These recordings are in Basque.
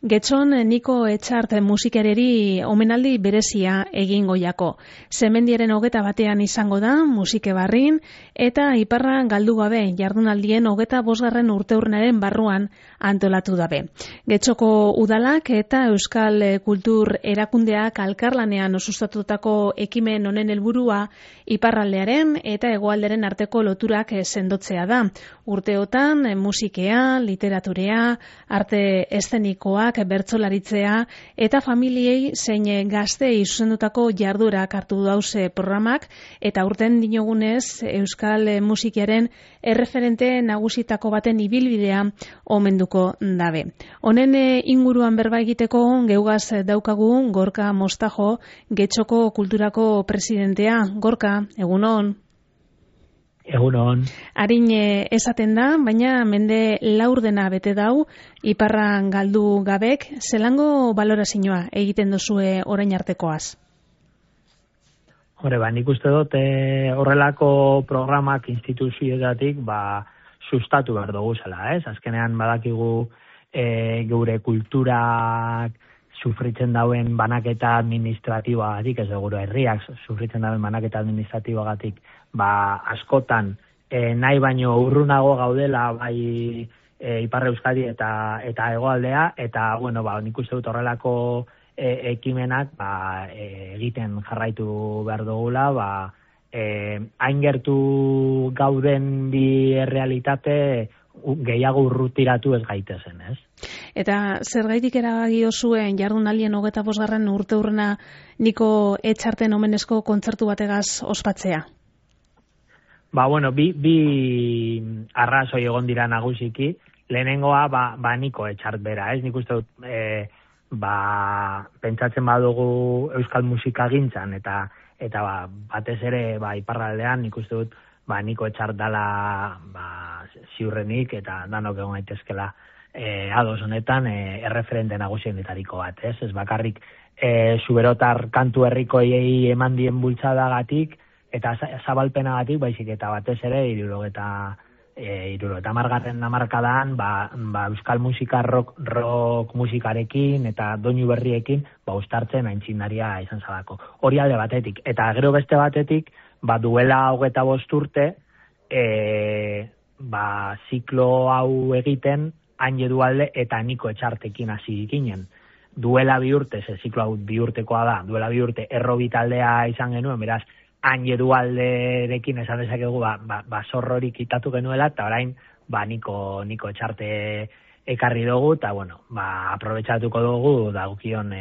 Getxon Niko Etxart musikereri omenaldi berezia egingo jako. Zemendiaren 21 izango da musike barrin eta iparra galdu gabe jardunaldien 25. urteurnaren barruan antolatu dabe. Getxoko udalak eta Euskal Kultur Erakundeak alkarlanean osustatutako ekimen honen helburua iparraldearen eta hegoalderen arteko loturak sendotzea da. Urteotan musikea, literaturea, arte eszenikoak, bertsolaritzea eta familiei zein gazteei zuzendutako jarduerak hartu dauze programak eta urten dinogunez Euskal musikiaren erreferente nagusitako baten ibilbidea omenduko dabe. Honen inguruan berba egiteko geugaz daukagu Gorka Mostajo, Getxoko Kulturako presidentea. Gorka, egunon. Egunon. Harin esaten da, baina mende laurdena bete dau, iparran galdu gabek, zelango balorazioa egiten duzue orain artekoaz? Hore, nik uste dut horrelako programak instituzioetatik sustatu behar dugu zela, ez? Azkenean badakigu geure kulturak sufritzen dauen banaketa administratiboagatik, ez dugu herriak sufritzen dauen banaketa administratiboagatik, askotan nahi baino urrunago gaudela bai Ipar Euskadi eta hegoaldea, eta nik uste dut horrelako ekimenak egiten jarraitu behar dugula, hain gertu gauden bi errealitate gehiago urrutiratu ez gaitezen, ez? Eta zergaitik erabaki zuen jardunaldien 25. urteurrena Niko Etxarten omenezko kontzertu bategaz ospatzea? Bi arrazoi egon dira nagusiki. Lehenengoa Niko Etxart bera, ez? Nik uste dut pentsatzen badugu euskal musikagintzan eta batez ere iparraldean nik uste dut Niko Etxart dala ziurrenik eta danok egon gaitezkela ados honetan erreferente nagusienitariko bat, ez? Ez bakarrik zuberotar kantu herrikoei eman dien bultzadagatik eta zabalpenagatik, baizik eta batez ere 70. hamarkadan euskal musika rock musikarekin eta doinu berriekin uztartzen aintzindaria izan zalako. Hori alde batetik. Eta gero beste batetik, duela 25 urte, ziklo hau egiten Hain Edualde eta Niko Etxartekin hasi ginen. Duela 2 urte, ziklo hau 2 urtekoa da, duela 2 urte errobi taldea izan genuen, beraz, Hain Edualderekin esan dezakegu zorrorik kitatu genuela, eta orain Niko Etxarte ekarri dugu, eta aprobetxatuko dugu dagokion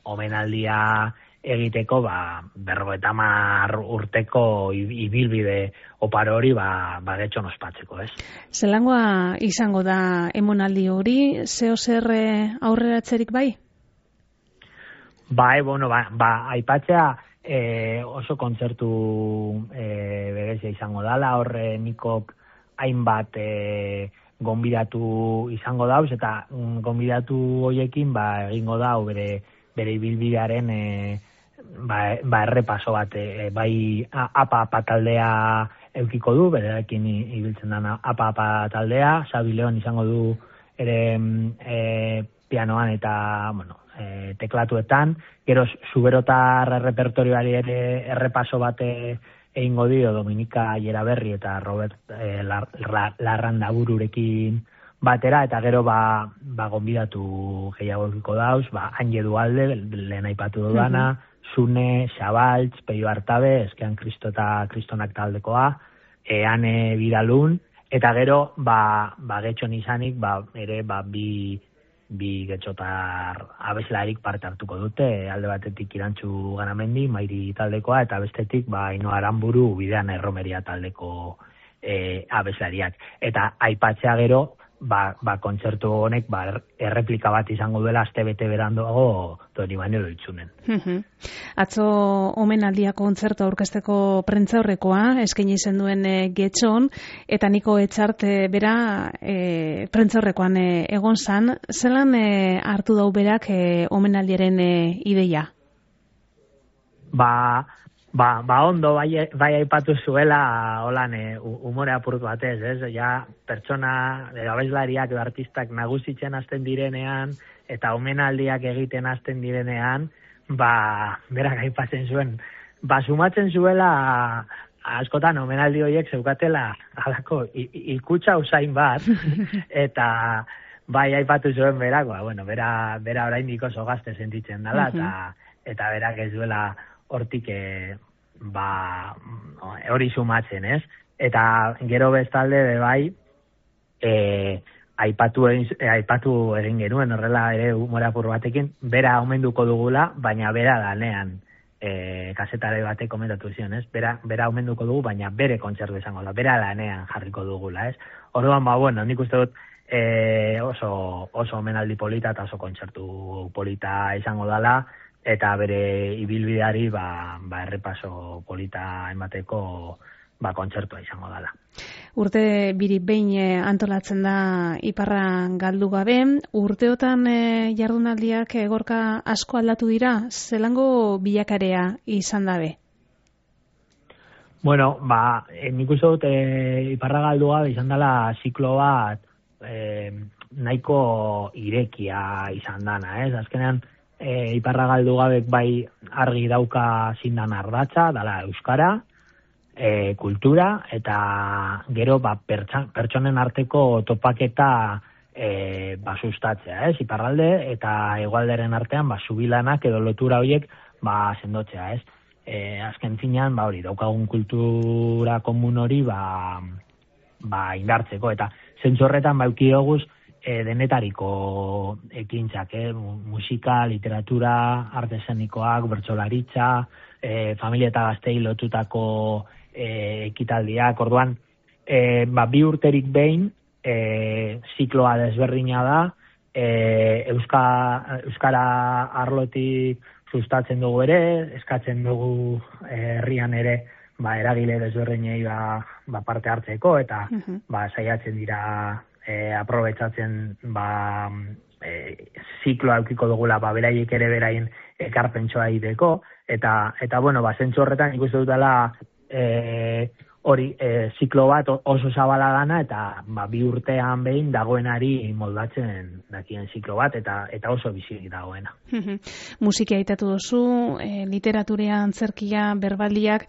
omenaldia egiteko 50 urteko ibilbide oparo hori Getxon ospatzeko, ez? Zelangoa izango da emonaldi hori, zeo zer aurreratzerik bai? Aipatzea oso kontzertu berezia izango dala, horre Nikok hainbat gonbidatu izango dauz, eta gonbidatu hoiekin egingo dau bere ibilbidearen errepaso bat, bai apa taldea eukiko du, berekin ibiltzen dana apa taldea, Xabi Leon izango du ere pianoan eta teklatuetan, gero zuberotar repertorioari ere errepaso bat egingo dio Dominika Jeraberri eta Robert Larrandabururekin batera, eta gero gonbidatu gehiago eukiko dauz, Hain Edualde, lehen aipatu dudana, Zune, Xabaltz, Peio Artabe, Eskean Kristo eta Kristonak taldekoa, Ane Bidalun, eta gero Getxon izanik ere bi getxotar abeslarik parte hartuko dute, alde batetik Irantxu Ganamendi, Mairi taldekoa, eta bestetik Ainhoa Aranburu, Bidean Erromeria taldeko abeslariak. Eta aipatzea gero, kontzertu honek erreplika bat izango duela astebete beranduago Doni Manuel Oitzunen. Atzo omenaldia kontzertu aurkezteko prentzaurrekoa eskaini izen duen Getxon, eta Niko Etxart bera prentzaurrekoan egon zan. Zelan hartu dau berak omenaldiaren ideia? Ondo bai aipatu zuela holan umore apurtu batez, ez? Ja, pertsona, abeslariak edo artistak nagusitzen hasten direnean, eta omenaldiak egiten hasten direnean, berak aipatzen zuen, sumatzen zuela askotan omenaldi horiek zeukatela halako ikutsa usain bat, eta bai aipatu zuen berak, bera oraindik oso gazte sentitzen dela, eta berak ez duela hortik hori sumatzen, ez? Eta gero bestalde bai aipatu egin genuen horrela ere humor apur batekin, bera omenduko dugula, baina bera lanean kazetare batek komentatu zion, ez? Bera omenduko dugu, baina bere kontzertu izango da, bera lanean jarriko dugula, ez? Orduan, nik uste dut oso omenaldi polita eta oso kontzertu polita izango dela, eta bere ibilbideari errepaso polita emateko kontzertua izango dela. Urte biri behin antolatzen da Iparra galdu gabe, urteotan jardunaldiak Gorka asko aldatu dira, zelango bilakarea izan dabe? Bueno, nik uste dut Iparra galdu gabe izan dela ziklo bat nahiko irekia izan dana, ez? Azkenean Iparra galdu gabek bai argi dauka zindan ardatza, dala euskara, kultura, eta gero pertsonen arteko topaketa sustatzea, ez? Iparralde eta hegoalderen artean zubilanak edo lotura horiek sendotzea, ez? Azken finean, hori, daukagun kultura komun hori indartzeko, eta zentzu horretan euki doguz denetariko ekintzak, musika, literatura, arte eszenikoak, bertsolaritza, familia eta gaztei lotutako ekitaldiak, orduan, bi urterik behin, zikloa desberdina da, euskara arlotik sustatzen dugu ere, eskatzen dugu herrian ere, eragile desberdinei parte hartzeko, eta saiatzen dira aprobetsatzen zikloa eukiko dugula beraiek ere beraien ekarpentsoa egiteko, eta zentzu horretan ikusten dutela hori ziklo bat oso zabala dana, eta bi urtean behin dagoenari moldatzen dakien ziklo bat, eta oso bizirik dagoena. Musika aitatu duzu, literatura, antzerkia, berbaldiak,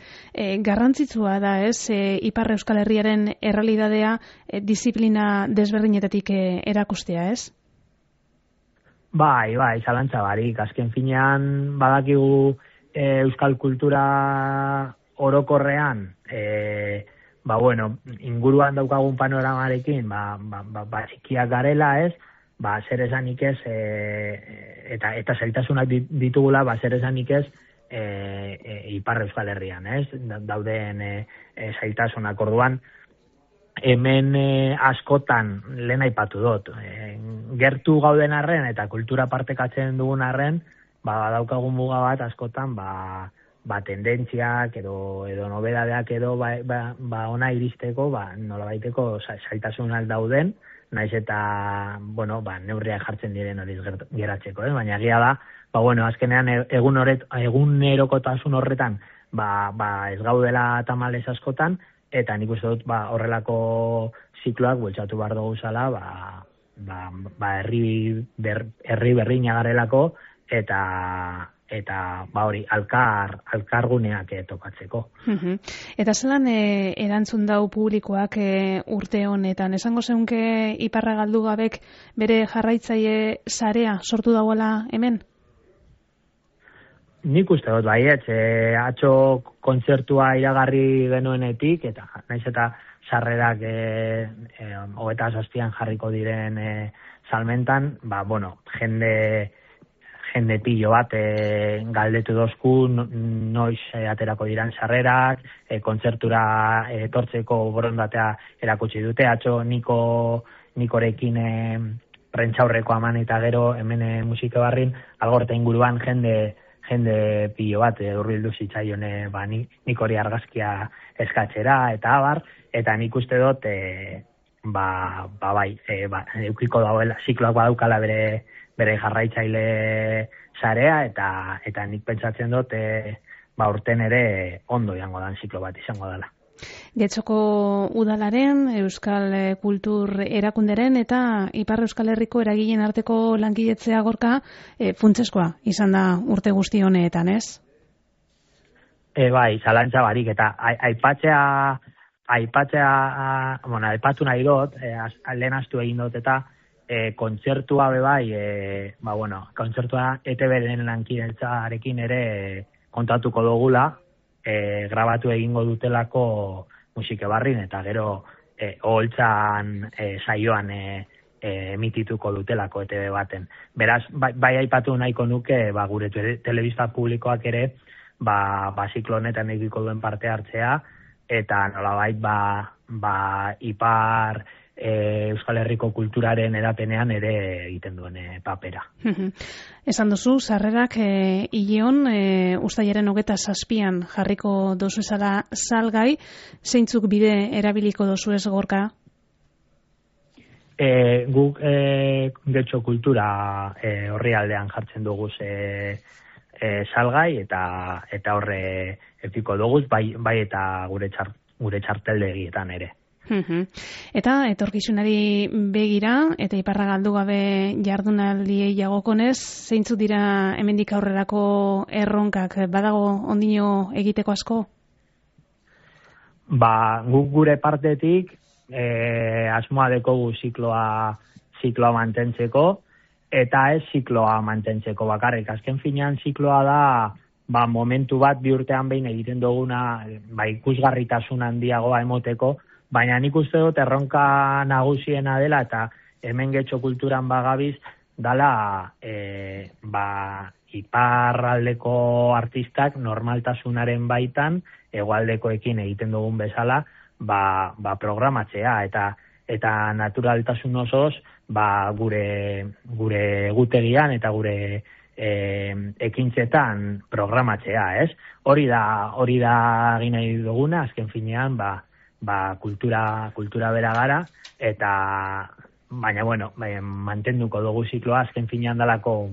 garrantzitsua da, ez? Ipar Euskal Herriaren errealitatea disiplina desberdinetatik erakustea, ez? Bai, zalantza barik. Azken finean badakigu euskal kultura orokorrean, inguruan daukagun panoramarekin, txikiak garela, ez? Zer esanik ez, eta zailtasunak ditugula, zer esanik ez, Ipar Euskal Herrian, ez? Dauden zailtasunak, orduan, hemen askotan lehen aipatu dut. Gertu gauden arren eta kultura partekatzen dugun arren, daukagun muga bat askotan, tendentziak edo nobedadeak edo ona iristeko, nolabaiteko zailtasunak dauden, naiz eta, neurriak jartzen diren horiz geratzeko, baina egia da, azkenean egunerokotasun horretan, ez gaudela tamalez askotan, eta nik uste dut, horrelako zikloak bultzatu behar dugu zala, herri berriña garelako, eta hori, alkarguneak topatzeko. Eta zelan erantzun dau publikoak urte honetan? Esango zeunke Iparra galdu gabek bere jarraitzaile sarea sortu dauela hemen? Nik uste dut baietz, atzo kontzertua iragarri genuenetik, eta naiz eta sarrerak 27an jarriko diren salmentan, jende pillo bat galdetu dozku noiz aterako diran sarrerak, kontzertura etortzeko borondatea erakutsi dute, atzo nikorekin prentxaurreko aman eta gero hemen musika barrin, algorta inguruan jende pillo bat hurbildu zitzaion nik hori argazkia eskatzera eta abar, eta nik uste dut eukiko dauela, zikloak badaukala bere jarraitzaile sarea, eta nik pentsatzen dut urten ere ondo jango dan ziklo bat izango dela. Getxoko udalaren, Euskal Kultur Erakunderen eta Ipar Euskal Herriko eragileen arteko lankidetzea Gorka funtseskoa izan da urte guzti honetan, ez? Bai, zalantza barik, eta aipatu nahi dut, lehen astu egin dut, eta kontzertua bebai, kontzertua ETB-den lankidetzarekin ere kontatuko dugula, grabatu egingo dutelako musike barrin, eta gero oholtzan saioan emitituko dutelako ETB baten. Beraz, bai aipatu nahiko nuke, gure telebista publikoak ere, ziklo honetan egiko duen parte hartzea, eta nolabait Ipar Euskal Herriko kulturaren erapenean ere egiten duen papera. Esan duzu, sarrerak hileon, uztailaren 27an jarriko dozu ezala salgai, zeintzuk bide erabiliko dozu ez Gorka? Guk Getxo kultura orrialdean jartzen dugu salgai, eta horre epiko dugu, bai eta gure txarteldegietan ere. Eta etorkizunari begira eta iparra galdu gabe jardunaldiei jagokonez, zeintzuk dira hemendik aurrerako erronkak, badago ondino egiteko asko? Guk gure partetik asmoa dekogu zikloa mantentzeko, eta ez zikloa mantentzeko bakarrik. Azken finean zikloa da momentu bat bi urtean behin egiten duguna ikusgarritasun handiagoa emoteko, baina nik uste dut erronka nagusiena dela, eta hemen Getxo kulturan bagabiz, dala iparraldeko artistak normaltasunaren baitan, hegoaldekoekin egiten dugun bezala, programatzea, eta naturaltasun osoz, gure egutegian eta gure ekintzetan programatzea, ez? Hori da egin nahi duguna, azken finean, kultura bera gara, eta baina mantenduko dugu zikloa, azken finean dalako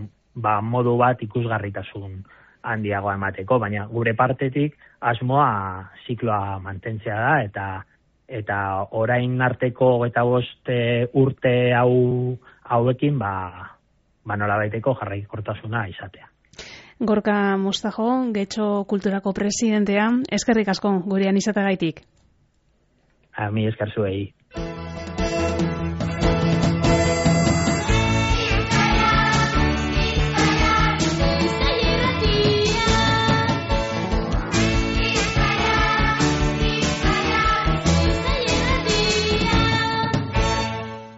modu bat ikusgarritasun handiagoa emateko, baina gure partetik asmoa zikloa mantentzea da, eta orain arteko 25 urte hauekin nolabaiteko jarraikortasuna izatea. Gorka Mostajo, Getxo kulturako presidentea, eskerrik asko gurean izateagaitik. Mi esker zuei.